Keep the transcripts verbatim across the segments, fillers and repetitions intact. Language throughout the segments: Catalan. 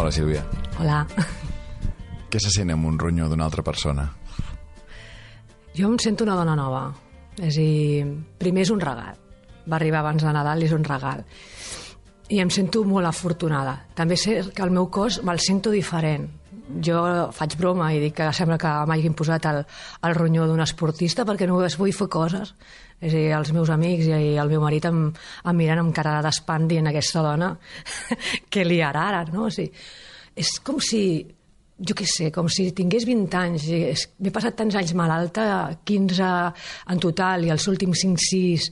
Hola, Sílvia. Hola. Què se sent amb un ronyó d'una altra persona? Jo em sento una dona nova. És a dir, primer és un regal. Va arribar abans de Nadal i és un regal. I em sento molt afortunada. També sé que el meu cos me'l sento diferent. Jo faig broma i dic que sembla que m'hagin posat el, el ronyó d'un esportista perquè no vull fer coses. És a dir, els meus amics i el meu marit em, em miren amb cara d'espant dient aquesta dona què li harà ara, no? O sigui, és com si, jo què sé, com si tingués vint anys. M'he passat tants anys malalta, quinze en total, i els últims cinc sis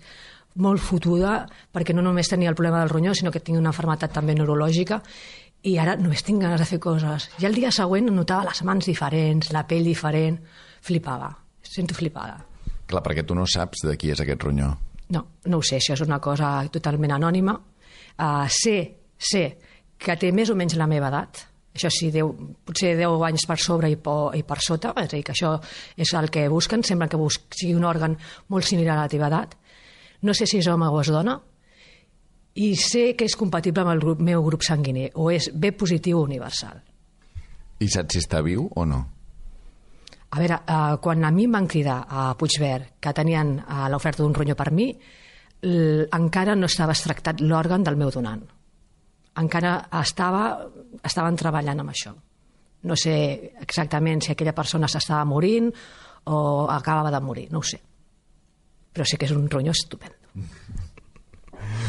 molt fotuda, perquè no només tenia el problema del ronyó, sinó que tinc una malaltia també neurològica, i ara només tinc ganes de fer coses. I el dia següent notava les mans diferents, la pell diferent, flipava, sento flipada. Clar, perquè tu no saps de qui és aquest ronyó. No, no ho sé, això és una cosa totalment anònima. Uh, sé, sé que té més o menys la meva edat, això sí, deu, potser deu anys per sobre i per, i per sota, és a dir, que això és el que busquen, sembla que busqui, sigui un òrgan molt similar a la teva edat. No sé si és home o és dona, i sé que és compatible amb el grup, meu grup sanguini, o és B positiu universal. I saps si està viu o no? A veure, eh, quan a mi em van cridar a Puigverd que tenien eh, l'oferta d'un ronyó per mi, encara no estava extractat l'òrgan del meu donant. Encara estava, estaven treballant amb això. No sé exactament si aquella persona s'estava morint o acabava de morir, no ho sé. Però sí que és un ronyó estupendo.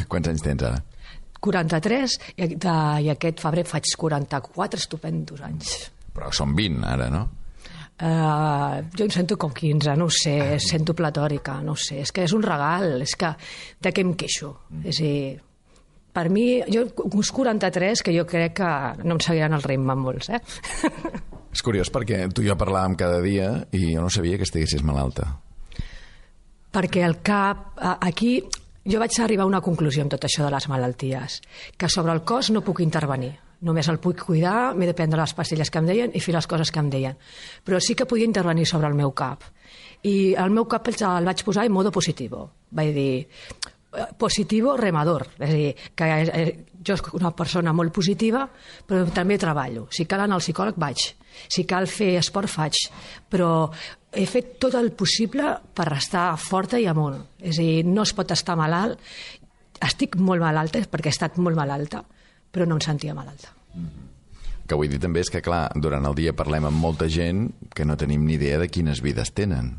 Quants anys tens ara? quaranta-tres i, de, i aquest febrer faig quaranta-quatre estupendos anys. Però són vint ara, no? Uh, jo em sento com quinze, no ho sé, sento platòrica, no ho sé, és que és un regal, és que de què em queixo? Mm. És a dir, per mi, jo, uns quaranta-tres, que jo crec que no em seguiran el ritme molts, eh? És curiós perquè tu i jo parlàvem cada dia i jo no sabia que estiguessis malalta. Perquè el cap, aquí, jo vaig arribar a una conclusió amb tot això de les malalties, que sobre el cos no puc intervenir. Només el puc cuidar, m'he de prendre les pastilles que em deien i fer les coses que em deien. Però sí que podia intervenir sobre el meu cap. I el meu cap el vaig posar en modo positivo. Vaig dir, positivo remador. És a dir, que jo soc una persona molt positiva, però també treballo. Si cal anar al psicòleg, vaig. Si cal fer esport, faig. Però he fet tot el possible per estar forta i amunt. És a dir, no es pot estar malalt. Estic molt malalta, perquè he estat molt malalta, però no em sentia malalta. Mm-hmm. Que vull dir també és que, clar, durant el dia parlem amb molta gent que no tenim ni idea de quines vides tenen.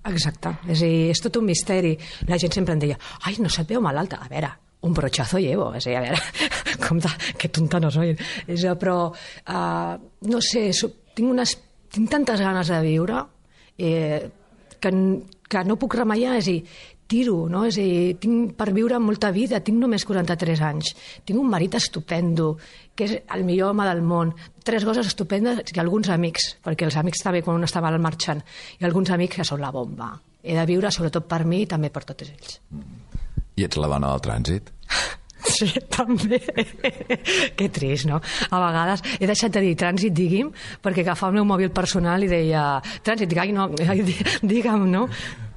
Exacte. És a dir, és tot un misteri. La gent sempre em deia, ai, no se't veu malalta. A veure, un brochazo llevo. És a dir, a veure, com de, que tonta no soy. És, però, uh, no sé, tinc, unes, tinc tantes ganes de viure eh, que, que no puc remeiar. És a dir, tiro, no? És a dir, tinc per viure molta vida, tinc només quaranta-tres anys, tinc un marit estupendo, que és el millor home del món, tres coses estupendes i alguns amics, perquè els amics també quan un està mal marxant, i alguns amics que són la bomba. He de viure sobretot per mi i també per tots ells. I ets la dona del trànsit? Sí, també. Que trist, no? A vegades he deixat de dir trànsit, digui'm, perquè agafava el meu mòbil personal i deia trànsit, dic, ai, no, digue'm, no?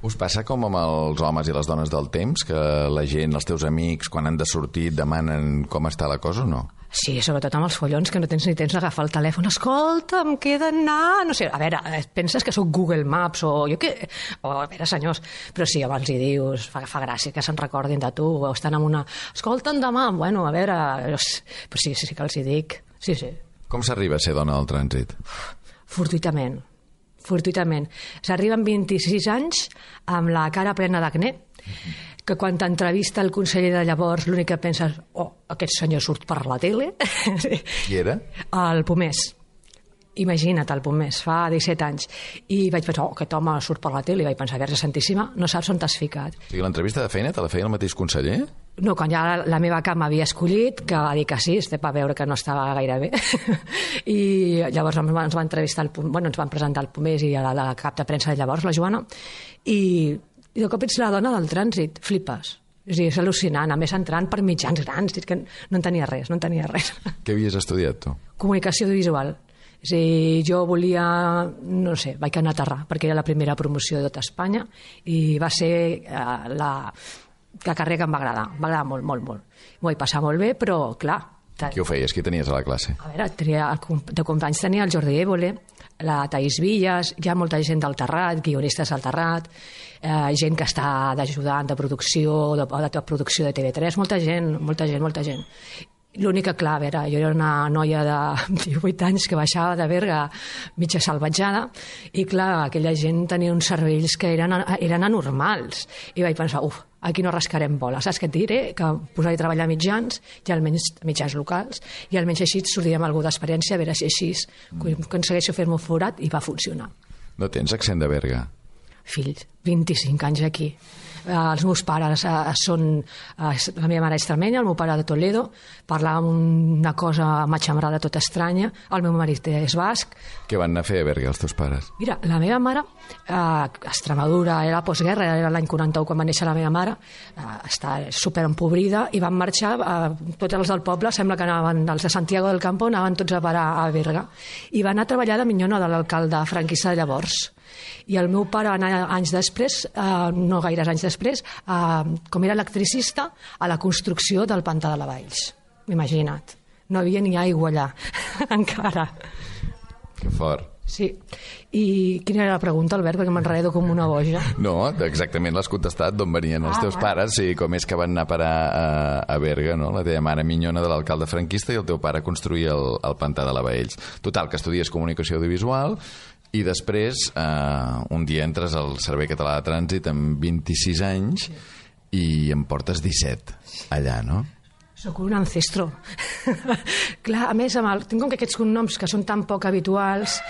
Us passa com amb els homes i les dones del temps, que la gent, els teus amics, quan han de sortir, demanen com està la cosa o no? Sí, sobretot amb els follons, que no tens ni temps d'agafar el telèfon. Escolta, em queda anar... No sé, a veure, penses que sóc Google Maps o jo què... O, a veure, senyors, però sí, abans hi dius, fa, fa gràcia que se'n recordin de tu, o estan amb una... Escolta'm demà, bueno, a veure... Però sí, sí, sí que els hi dic, sí, sí. Com s'arriba a ser dona del trànsit? Fortuitament, fortuitament. S'arriba amb vint-i-sis anys amb la cara plena d'acné, que quan t'entrevista el conseller de llavors l'únic que penses, oh, aquest senyor surt per la tele. Qui era? El Pomés. Imagina't, el Pomés, fa disset anys. I vaig pensar, oh, aquest home surt per la tele. I vaig pensar, Verge Santíssima, no saps on t'has ficat. O sigui, l'entrevista de feina te la feia el mateix conseller? No, quan ja la, la meva cap m'havia escollit, que va dir que sí, va veure que no estava gaire bé. I llavors ens va entrevistar, el, bueno, ens van presentar el Pomés i la, la cap de premsa de llavors, la Joana, i I de cop ets la dona del trànsit, flipes. És a dir, és al·lucinant, a més entrant per mitjans grans, és que no en tenia res, no en tenia res. Què havies estudiat, tu? Comunicació audiovisual. És a dir, jo volia, no sé, vaig anar a aterrar, perquè era la primera promoció de tota Espanya, i va ser eh, la, la carrera que em va agradar, em va agradar molt, molt, molt. M'ho vaig passar molt bé, però, clar, Qui ho feies? Qui tenies a la classe? A veure, tenia, de companys tenia el Jordi Évole, la Taís Villas, hi ha molta gent del Terrat, guionistes del Terrat, eh, gent que està d'ajudant de producció, de, de producció de T V tres, molta gent, molta gent, molta gent. L'únic que, clar, era, jo era una noia de divuit anys que baixava de Berga mitja salvatjada i, clar, aquella gent tenia uns cervells que eren, eren anormals. I vaig pensar, uf, aquí no rascarem bola. Saps què et diré? Que posar-hi a treballar mitjans, i almenys mitjans locals, i almenys així et sortia amb algú d'experiència, a veure si així mm. aconsegueixo fer-me forat, i va funcionar. No tens accent de Berga? Fill, vint-i-cinc anys aquí. Eh, els meus pares eh, són... Eh, la meva mare és extremenya, el meu pare de Toledo, parlava una cosa matxambrada tota estranya, el meu marit és basc. Què van anar a fer a Berga els teus pares? Mira, la meva mare, eh, Extremadura, era postguerra, era l'any quaranta-u quan va néixer la meva mare, eh, està super empobrida, i van marxar, eh, tots els del poble, sembla que anaven, els de Santiago del Campo, anaven tots a parar a Berga, i van anar a treballar de minyona de l'alcalde franquista de llavors. I el meu pare va anar anys després, eh, no gaires anys després, eh, com era electricista, a la construcció del pantà de la Valls. Imagina't. No havia ni aigua allà, encara. Que fort. Sí. I quina era la pregunta, Albert, perquè m'enredo com una boja? No, exactament l'has contestat, d'on venien els ah, teus va. pares i com és que van anar a parar a, a Berga, no? La teva mare minyona de l'alcalde franquista i el teu pare construir el, el pantà de la Valls. Total, que estudies comunicació audiovisual i després eh, un dia entres al Servei Català de Trànsit amb vint-i-sis anys i em portes disset allà, no? Soc un ancestro. Clar, a més, amb el, tinc com que aquests cognoms que són tan poc habituals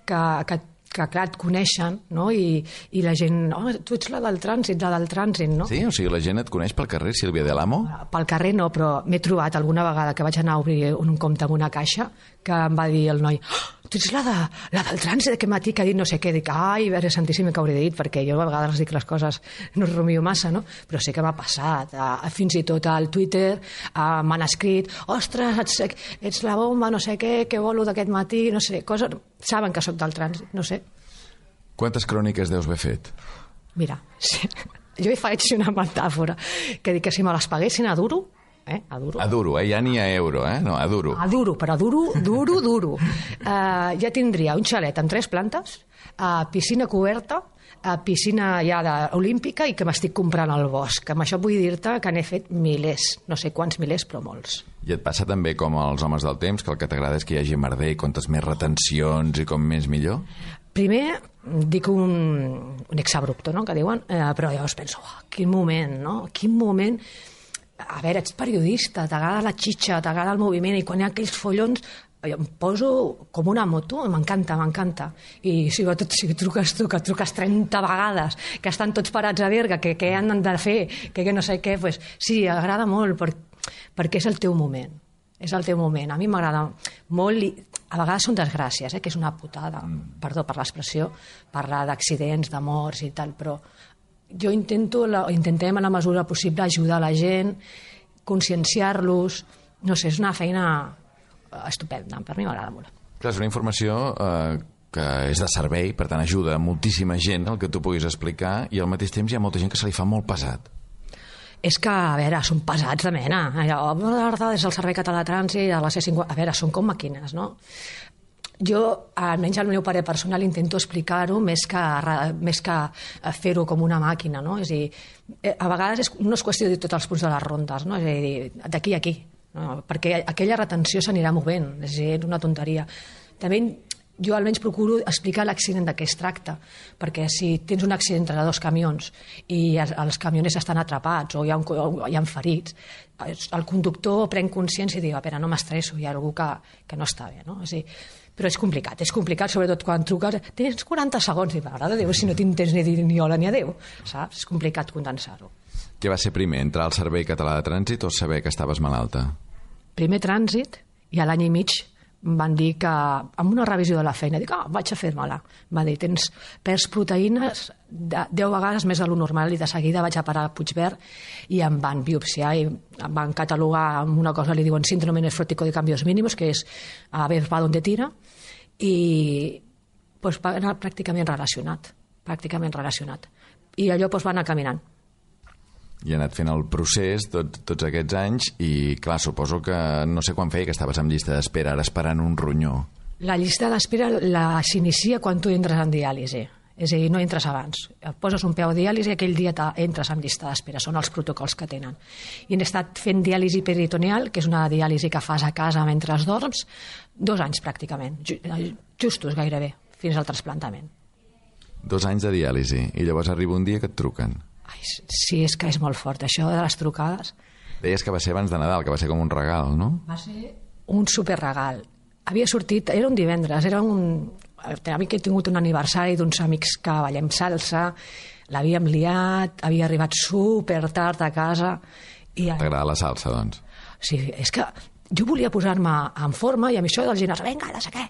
que, que, que clar, et coneixen, no? I, i la gent, oh, tu ets la del trànsit, la del trànsit, no? Sí, o sigui, la gent et coneix pel carrer, Sílvia de l'Amo? Pel carrer no, però m'he trobat alguna vegada que vaig anar a obrir un compte amb una caixa que em va dir el noi, oh, tu ets la, de, la del trànsit d'aquest matí que ha dit no sé què. Dic, ai, Verge Santíssim, que hauré dit, perquè jo a vegades dic les coses, no es rumio massa, no? Però sí que m'ha passat. A, a, fins i tot al Twitter m'han escrit, ostres, ets, ets la bomba, no sé què, què bolo d'aquest matí, no sé, coses... Saben que sóc del trànsit, no sé. Quantes cròniques deus haver fet? Mira, sí, jo hi faig una metàfora, que dic que si me les paguessin a duro, Eh, a duro. A duro, eh? Ja ni a euro, eh? No, a duro. A duro, però duro, duro, duro. Uh, ja tindria un xalet amb tres plantes, uh, piscina coberta, uh, piscina ja de, olímpica i que m'estic comprant al bosc. Amb això vull dir-te que n'he fet milers, no sé quants milers, però molts. I et passa també com als homes del temps, que el que t'agrada és que hi hagi merder i comptes més retencions i com més millor? Primer, dic un, un exabrupto, no?, que diuen, eh, però llavors penso, oh, quin moment, no?, quin moment... A veure, ets periodista, t'agrada la xitxa, t'agrada el moviment, i quan hi ha aquells follons jo em poso com una moto, m'encanta, m'encanta. I sobretot si truques tu, que truques trenta vegades, que estan tots parats a Berga, que què han de fer, que, que no sé què, pues, sí, agrada molt, per, perquè és el teu moment. És el teu moment. A mi m'agrada molt, i a vegades són desgràcies, eh, que és una putada, perdó per l'expressió, parlar d'accidents, de morts i tal, però jo intento, la, intentem a la mesura possible ajudar la gent, conscienciar-los, no sé, és una feina estupenda, per mi m'agrada molt. Clar, és una informació eh, que és de servei, per tant ajuda a moltíssima gent el que tu puguis explicar, i al mateix temps hi ha molta gent que se li fa molt pesat. És que, a veure, són pesats de mena. Allò, des del Servei Català de Trànsit, a la C cinquanta... A veure, són com màquines, no? Jo, almenys al meu pare personal, intento explicar-ho més que, més que fer-ho com una màquina, no? És a dir, a vegades és, no és qüestió de dir tots els punts de les rondes, no? És a dir, d'aquí a aquí, no? Perquè aquella retenció s'anirà movent, és a dir, és una tonteria. També jo almenys procuro explicar l'accident de què es tracta, perquè si tens un accident entre dos camions i els camioners estan atrapats o hi ha, un, o hi ha ferits, el conductor pren consciència i diu, a veure, no m'estresso, hi ha algú que, que no està bé, no? És a dir, però és complicat, és complicat, sobretot quan truques, tens quaranta segons, i m'agrada Déu, si no t'intens ni dir ni hola ni adéu, saps? És complicat condensar-ho. Què va ser primer, entrar al Servei Català de Trànsit o saber que estaves malalta? Primer trànsit, i a l'any i mig van dir que, amb una revisió de la feina, dic, ah, vaig a fer-me-la. Va dir, tens perds proteïnes de deu vegades més de lo normal, i de seguida vaig a parar a Puigverd i em van biopsiar i em van catalogar amb una cosa, li diuen síndrome nefrótico de cambios mínimos, que és a ver va donde tira, i pues, va anar pràcticament relacionat, pràcticament relacionat. I allò pues, va anar caminant. I ha anat fent el procés tot, tots aquests anys i, clar, suposo que no sé quan feia que estaves en llista d'espera, ara esperant un ronyó. La llista d'espera la s'inicia quan tu entres en diàlisi. És a dir, no entres abans. Et poses un peu a diàlisi i aquell dia entres en llista d'espera. Són els protocols que tenen. I hem estat fent diàlisi peritoneal, que és una diàlisi que fas a casa mentre dorms, dos anys pràcticament, justos gairebé, fins al trasplantament. Dos anys de diàlisi i llavors arriba un dia que et truquen. Ai, sí, és que és molt fort, això de les trucades. Deies que va ser abans de Nadal, que va ser com un regal, no? Va ser un superregal. Havia sortit, era un divendres, era un... Havia tingut un aniversari d'uns amics que ballem salsa, l'havíem liat, havia arribat super tard a casa... I... T'agrada la salsa, doncs? Sí, és que jo volia posar-me en forma i amb això del gimnàs, vinga, no sé què,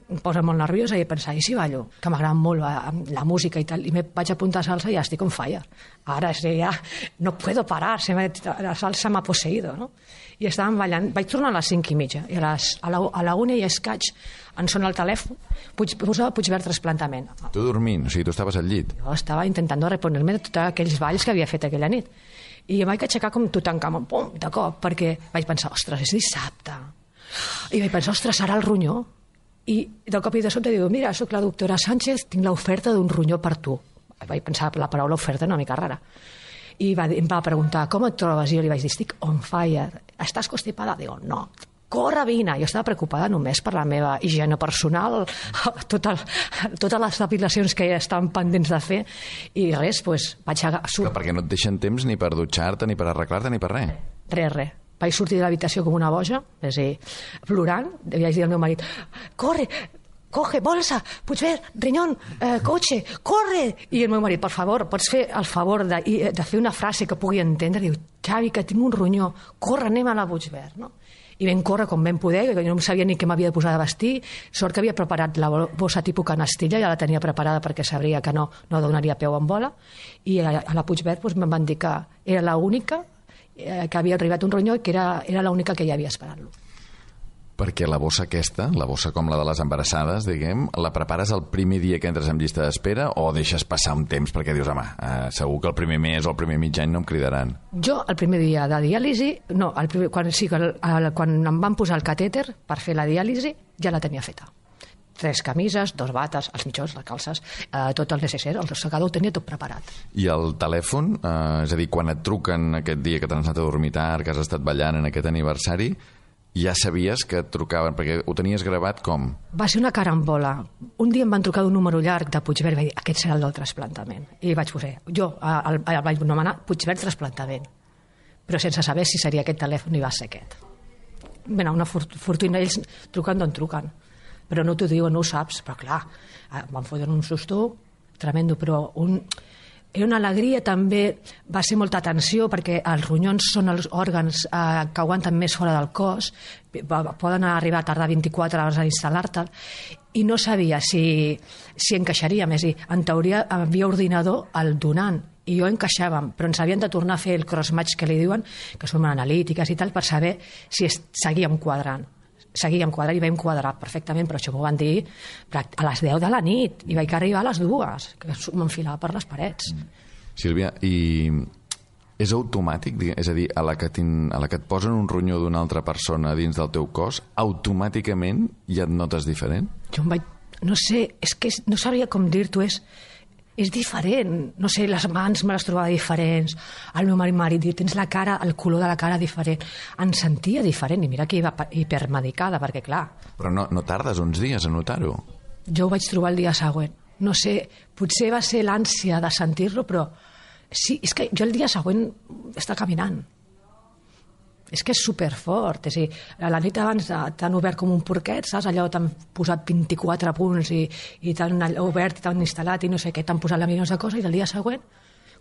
em posa molt nerviosa i pensar, i si ballo? Que m'agrada molt la, la música i tal, i me vaig apuntar a salsa i ja estic on fire. Ara és ja, no puedo parar, se me, la salsa m'ha posseïdo, no? I estàvem ballant, vaig tornar a les cinc i mitja, i a, les, a, la, a la una i escaig em sona el telèfon, Puig, posava Puigverd trasplantament. Tu dormint, o sigui, tu estaves al llit? Jo estava intentant reponer-me de tots aquells balls que havia fet aquella nit. I em vaig aixecar com Tutankamon, pum, de cop, perquè vaig pensar, ostres, és dissabte. I vaig pensar, ostres, serà el ronyó? I de cop i de sobte diu, mira, sóc la doctora Sánchez, tinc l'oferta d'un ronyó per tu. Vaig pensar la paraula oferta una mica rara. I va, em va preguntar, com et trobes? I jo li vaig dir, estic on fire. Estàs constipada? Digo, no. Corre, vine. Jo estava preocupada només per la meva higiene personal, tot el, totes les depilacions que ja estaven pendents de fer, i res, doncs vaig a... Sur... Perquè no et deixen temps ni per dutxar-te, ni per arreglar-te, ni per res. Res, res. Vaig sortir de l'habitació com una boja, és a dir, plorant, i vaig dir al meu marit, corre, coge, bolsa, Puigverd, riñón, eh, cotxe, corre! I el meu marit, per favor, pots fer el favor de, de fer una frase que pugui entendre? Diu, Xavi, que tinc un ronyó, corre, anem a la Puigverd, no? I vam córrer com vam poder, que jo no sabia ni què m'havia de posar de vestir, sort que havia preparat la bossa tipus canastilla, ja la tenia preparada perquè sabria que no, no donaria peu en bola, i a, a la Puigverd doncs, me'n van dir que era l'única que havia arribat un ronyó i que era, era l'única que hi havia esperant-lo. Perquè la bossa aquesta, la bossa com la de les embarassades, diguem, la prepares el primer dia que entres en llista d'espera o deixes passar un temps perquè dius, home, eh, segur que el primer mes o el primer mig any no em cridaran? Jo, el primer dia de diàlisi, no, el primer, quan, sí, el, el, quan em van posar el catèter per fer la diàlisi, ja la tenia feta. Tres camises, dos bates, els mitjons, les calces, eh, tot el necessari, el secador ho tenia tot preparat. I el telèfon, eh, és a dir, quan et truquen aquest dia que t'has anat a dormir tard, que has estat ballant en aquest aniversari, ja sabies que et trucaven, perquè ho tenies gravat com? Va ser una carambola. Un dia em van trucar d'un número llarg de Puigverd i vaig dir, aquest serà el del trasplantament. I vaig posar, jo el, el vaig anomenar Puigverd trasplantament, però sense saber si seria aquest telèfon i va ser aquest. Bé, una fortuna, ells truquen d'on truquen, però no t'ho diuen, no ho saps, però clar, em van fotre un susto tremendo, però un... era una alegria també, va ser molta tensió perquè els ronyons són els òrgans eh, que aguanten més fora del cos, poden arribar a tardar vint-i-quatre hores a instal·lar-te'l, i no sabia si, si encaixaria, més i en teoria havia ordinador al donant, i jo encaixàvem, però ens havien de tornar a fer el cross-match que li diuen, que són analítiques i tal, per saber si es, seguíem quadrant. Seguíem quadrant i vam quadrar perfectament, però això m'ho van dir a les deu de la nit i vaig arribar a les dues, que m'enfilava per les parets. Sílvia, i és automàtic? És a dir, a la que, a la que et posen un ronyó d'una altra persona dins del teu cos, automàticament ja et notes diferent? Jo em vaig... No sé, és que no sabria com dir-t'ho, és... és diferent, no sé, les mans me les trobava diferents, el meu marit m'ha dit, tens la cara, el color de la cara diferent, em sentia diferent, i mira que iba hipermedicada, perquè clar... Però no, no tardes uns dies a notar-ho? Jo ho vaig trobar el dia següent, no sé, potser va ser l'ànsia de sentir-lo, però sí, és que jo el dia següent estava caminant. És que és superfort, és a dir, la nit abans t'han obert com un porquet, saps? Allò t'han posat vint-i-quatre punts i, i t'han obert i t'han instal·lat i no sé què, t'han posat la milions de coses, i el dia següent,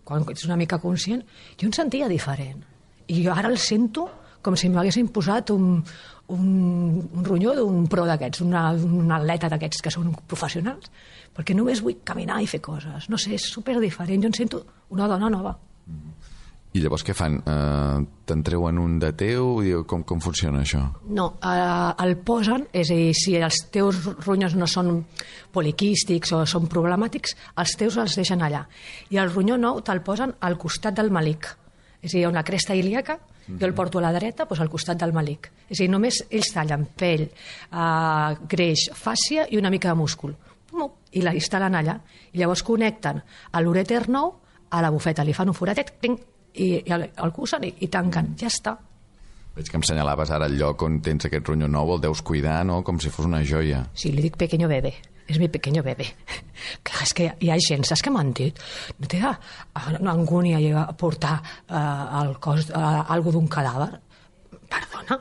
quan ets una mica conscient, jo em sentia diferent. I jo ara el sento com si m'haguessin posat un, un, un ronyó d'un pro d'aquests, una, un atleta d'aquests que són professionals, perquè només vull caminar i fer coses. No sé, és superdiferent, jo em sento una dona nova. I llavors què fan? Uh, Te'n treuen un de teu? Com, com funciona això? No, uh, el posen, és a dir, si els teus ronyons no són poliquístics o són problemàtics, els teus els deixen allà. I el ronyó nou te'l posen al costat del malic. És a dir, hi ha una cresta ilíaca, jo el porto a la dreta, doncs al costat del malic. És a dir, només ells tallen pell, uh, greix, fàscia i una mica de múscul. I la instal·len allà. I llavors connecten a l'urèter nou a la bufeta, li fan un foratet, ting, i, i el, el cusen i, i tanquen. Ja està. Veig que em senyalaves ara el lloc on tens aquest ronyó nou, el deus cuidar, no? Com si fos una joia. Sí, li dic pequeño bebé. És mi pequeño bebé. Clar, és que hi ha gent, saps què m'han dit? No té angúnia a portar uh, el cos, uh, algo d'un cadàver? Perdona?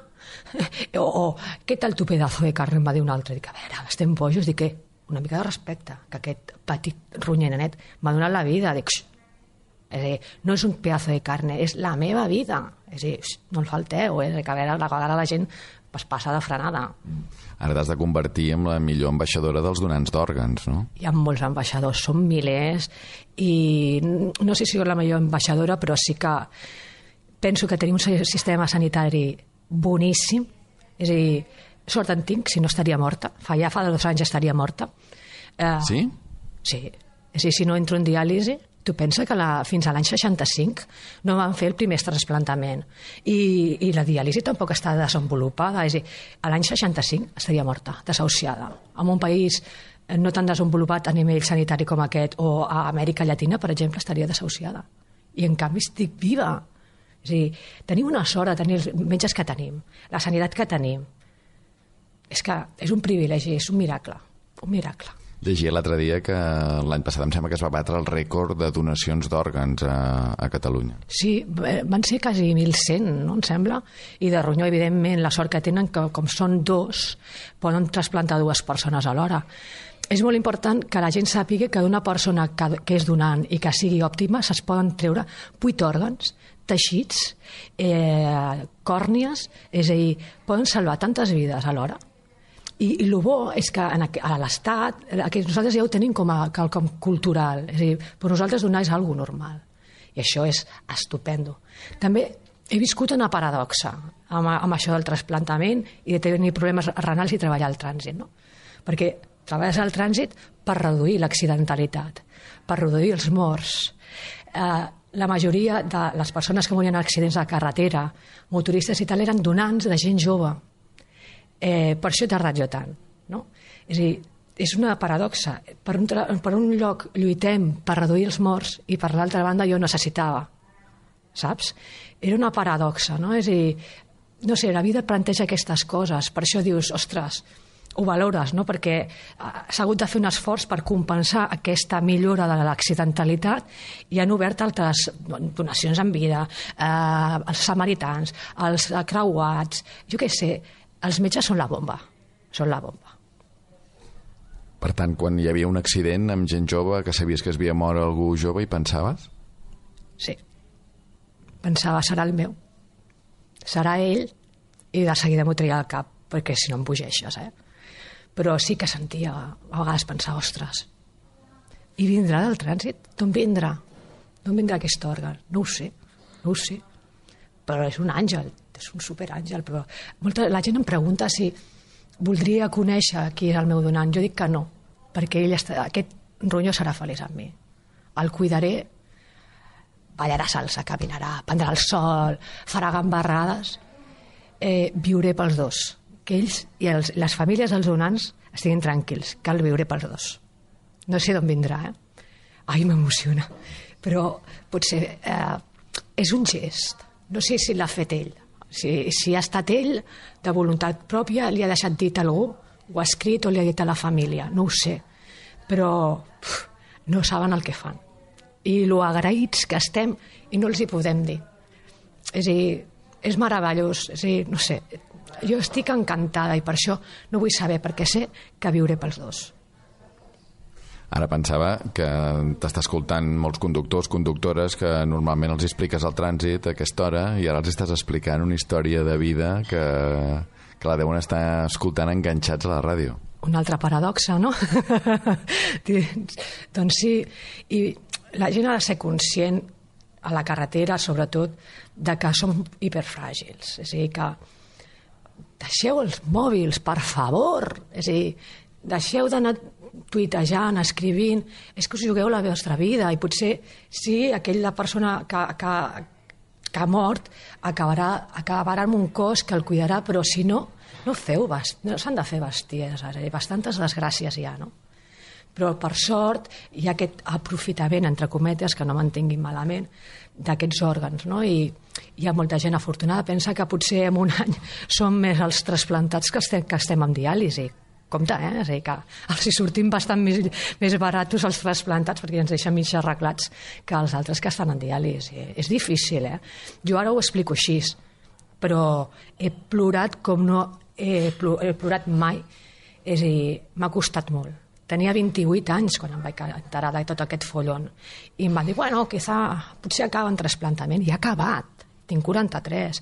O, o què tal tu pedazo de carne? Em va dir un altre. Dic, a veure, estem bojos. Dic, què? Una mica de respecte, que aquest petit ronyenet m'ha donat la vida. Dic, xxt. És a dir, no és un pedazo de carne, és la meva vida. És a dir, no el falteu, és que a veure, a vegades la gent es passa de frenada. Ara t'has de convertir en la millor ambaixadora dels donants d'òrgans, no? Hi ha molts ambaixadors, són milers, i no sé si soc la millor ambaixadora, però sí que penso que tenim un sistema sanitari boníssim, és a dir, sort en tinc, si no estaria morta, fa ja fa dos anys estaria morta. Uh, sí? Sí, és a dir, si no entro en diàlisi, tu pensa que la, fins a l'any seixanta-cinc no van fer el primer trasplantament i, i la diàlisi tampoc està desenvolupada, és a dir, a l'any seixanta-cinc estaria morta, desahuciada. En un país no tan desenvolupat a nivell sanitari com aquest, o a Amèrica Llatina, per exemple, estaria desahuciada. I en canvi estic viva. És a dir, tenim una sort de tenir els metges que tenim, la sanitat que tenim. És que és un privilegi, és un miracle, un miracle. Llegia l'altre dia que l'any passat em sembla que es va batre el rècord de donacions d'òrgans a, a Catalunya. Sí, van ser quasi mil cent, no, em sembla, i de ronyó, evidentment, la sort que tenen, que com són dos, poden trasplantar dues persones alhora. És molt important que la gent sàpiga que d'una persona que, que és donant i que sigui òptima se'ls poden treure vuit òrgans, teixits, eh, còrnies, és a dir, poden salvar tantes vides alhora. I, i el bo és que en, a l'Estat, que nosaltres ja ho tenim com a quelcom cultural, és a dir, per nosaltres donar és algo normal. I això és estupendo. També he viscut una paradoxa amb, amb això del trasplantament i de tenir problemes renals i treballar al trànsit, no? Perquè treballes al trànsit per reduir l'accidentalitat, per reduir els morts. Eh, la majoria de les persones que morien en accidents de carretera, motoristes i tal, eren donants de gent jove. Eh, per això he tardat jo tant, no? És a dir, és una paradoxa. Per un, per un lloc lluitem per reduir els morts i per l'altra banda jo necessitava, saps? Era una paradoxa, no? És a dir, no sé, la vida planteja aquestes coses, per això dius, ostres, ho valores, no? Perquè s'ha hagut de fer un esforç per compensar aquesta millora de l'accidentalitat i han obert altres donacions en vida, eh, els samaritans, els creuats, jo què sé. Els metges són la bomba, són la bomba. Per tant, quan hi havia un accident amb gent jove que sabies que es havia mort algú jove i pensaves? Sí. Pensava, serà el meu. Serà ell, i de seguida m'ho treia al cap, perquè si no em bogeixes, eh? Però sí que sentia, a vegades pensar, ostres, i vindrà del trànsit? D'on vindrà? D'on vindrà aquest òrgan? No ho sé, no ho sé. Però és un àngel, és un superàngel, però molta, la gent em pregunta si voldria conèixer qui és el meu donant. Jo dic que no, perquè ell està, aquest ronyó serà feliç amb mi. El cuidaré, ballarà salsa, caminarà, prendrà el sol, farà gambarrades, eh, viuré pels dos. Que ells i els, les famílies dels donants estiguin tranquils, cal viure pels dos. No sé d'on vindrà, eh? Ai, m'emociona. Però potser eh, és un gest. No sé si l'ha fet ell. Si, si ha estat ell, de voluntat pròpia, li ha deixat dit a algú, ho ha escrit o li ha dit a la família, no ho sé. Però uf, no saben el que fan. I lo agraïts que estem i no els hi podem dir. És a dir, és meravellós, és a dir, no sé, jo estic encantada i per això no vull saber, perquè sé que viuré pels dos. Ara pensava que t'està escoltant molts conductors, conductores que normalment els expliques al trànsit a aquesta hora i ara els estàs explicant una història de vida que, que la deuen estar escoltant enganxats a la ràdio. Una altra paradoxa, no? Doncs sí, i la gent ha de ser conscient a la carretera, sobretot, de que som hiperfràgils. És a dir, que deixeu els mòbils, per favor. És a dir, deixeu d'anar tuitejant, escrivint, és que us jugueu la vostra vida i potser sí, aquella persona que, que, que ha mort acabarà, acabarà amb un cos que el cuidarà, però si no, no feu bast... no s'han de fer besties, bastantes desgràcies hi ha, no? Però per sort hi ha aquest aprofitament, entre cometes, que no m'entenguin malament, d'aquests òrgans, no? I hi ha molta gent afortunada, pensa que potser en un any som més els trasplantats que estem, que estem amb diàlisi. Compte, eh? És a dir, que els hi sortim bastant més, més baratos els trasplantats perquè ens deixen mig arreglats que els altres que estan en diàlisi. És difícil, eh? Jo ara ho explico així, però he plorat com no he plorat mai. És a dir, m'ha costat molt. Tenia vint-i-vuit anys quan em vaig enterar de tot aquest follon. I em va dir, bueno, quizá, potser acaba en trasplantament. I ha acabat. Tinc quaranta-tres.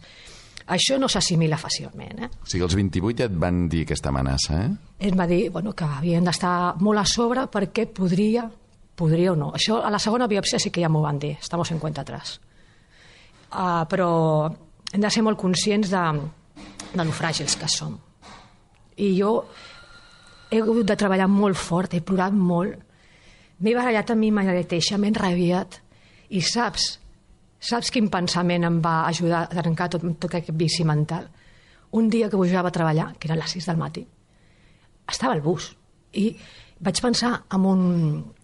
Això no s'assimila fàcilment. Eh? O sigui, als vint-i-vuit ja et van dir aquesta amenaça, eh? Em va dir bueno, que havien d'estar molt a sobre perquè podria, podria o no. Això a la segona biòpsia sí que ja m'ho van dir. Estamos en cuenta atrás. Uh, però hem de ser molt conscients de, de lo fràgils que som. I jo he hagut de treballar molt fort, he plorat molt, m'he barallat a mi mateixa, m'he enrabiat, i saps, saps quin pensament em va ajudar a trencar tot, tot aquest vici mental? Un dia que pujava a treballar, que era a les sis del matí, estava al bus, i vaig pensar en un,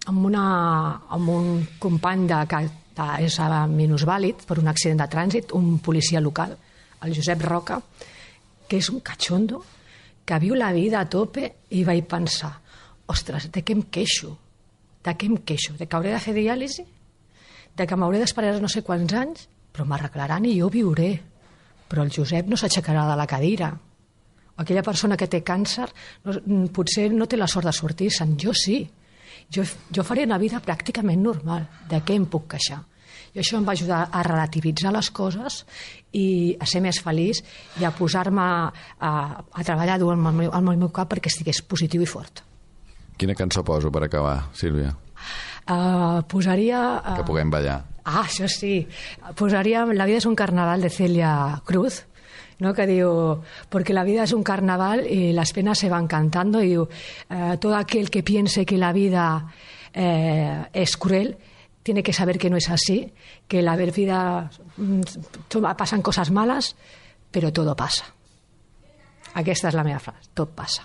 en una, en un company de, que és minusvàlid per un accident de trànsit, un policia local, el Josep Roca, que és un cachondo, que viu la vida a tope, i vaig pensar, ostres, de què em queixo? De què em queixo? De que hauré de fer diàlisi? De que m'hauré d'esperar no sé quants anys? Però m'arreglaran i jo viuré. Però el Josep no s'aixecarà de la cadira. Aquella persona que té càncer no, potser no té la sort de sortir-se'n, jo sí. Jo, jo faré una vida pràcticament normal. De què em puc queixar? I això em va ajudar a relativitzar les coses i a ser més feliç i a posar-me a, a, a treballar dur al meu, al meu cap perquè estigués positiu i fort. Quina cançó poso per acabar, Sílvia? Uh, posaria... Uh, que puguem ballar. Ah, això sí. Posaria La vida es un carnaval de Celia Cruz, ¿no? Que diu, porque la vida es un carnaval y las penas se van cantando, y diu, uh, todo aquel que piense que la vida eh, es cruel tiene que saber que no es así, que la vida pasan cosas malas, pero todo pasa. Aquesta és la meva frase, tot passa.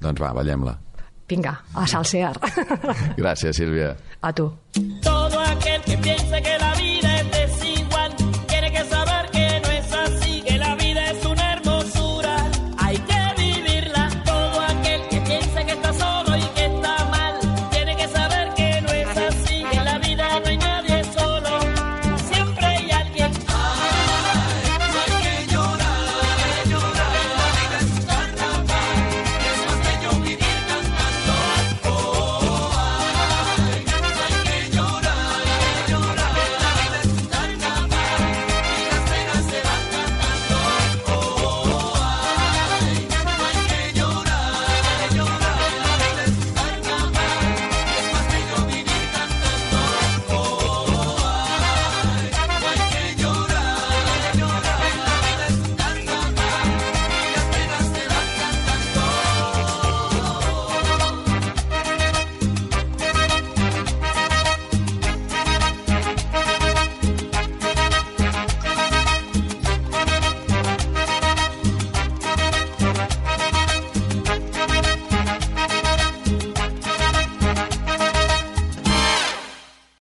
Doncs va, ballem-la. Vinga, a salsear. Gràcies, Sílvia. A tu. Todo aquel que piense que la vida es de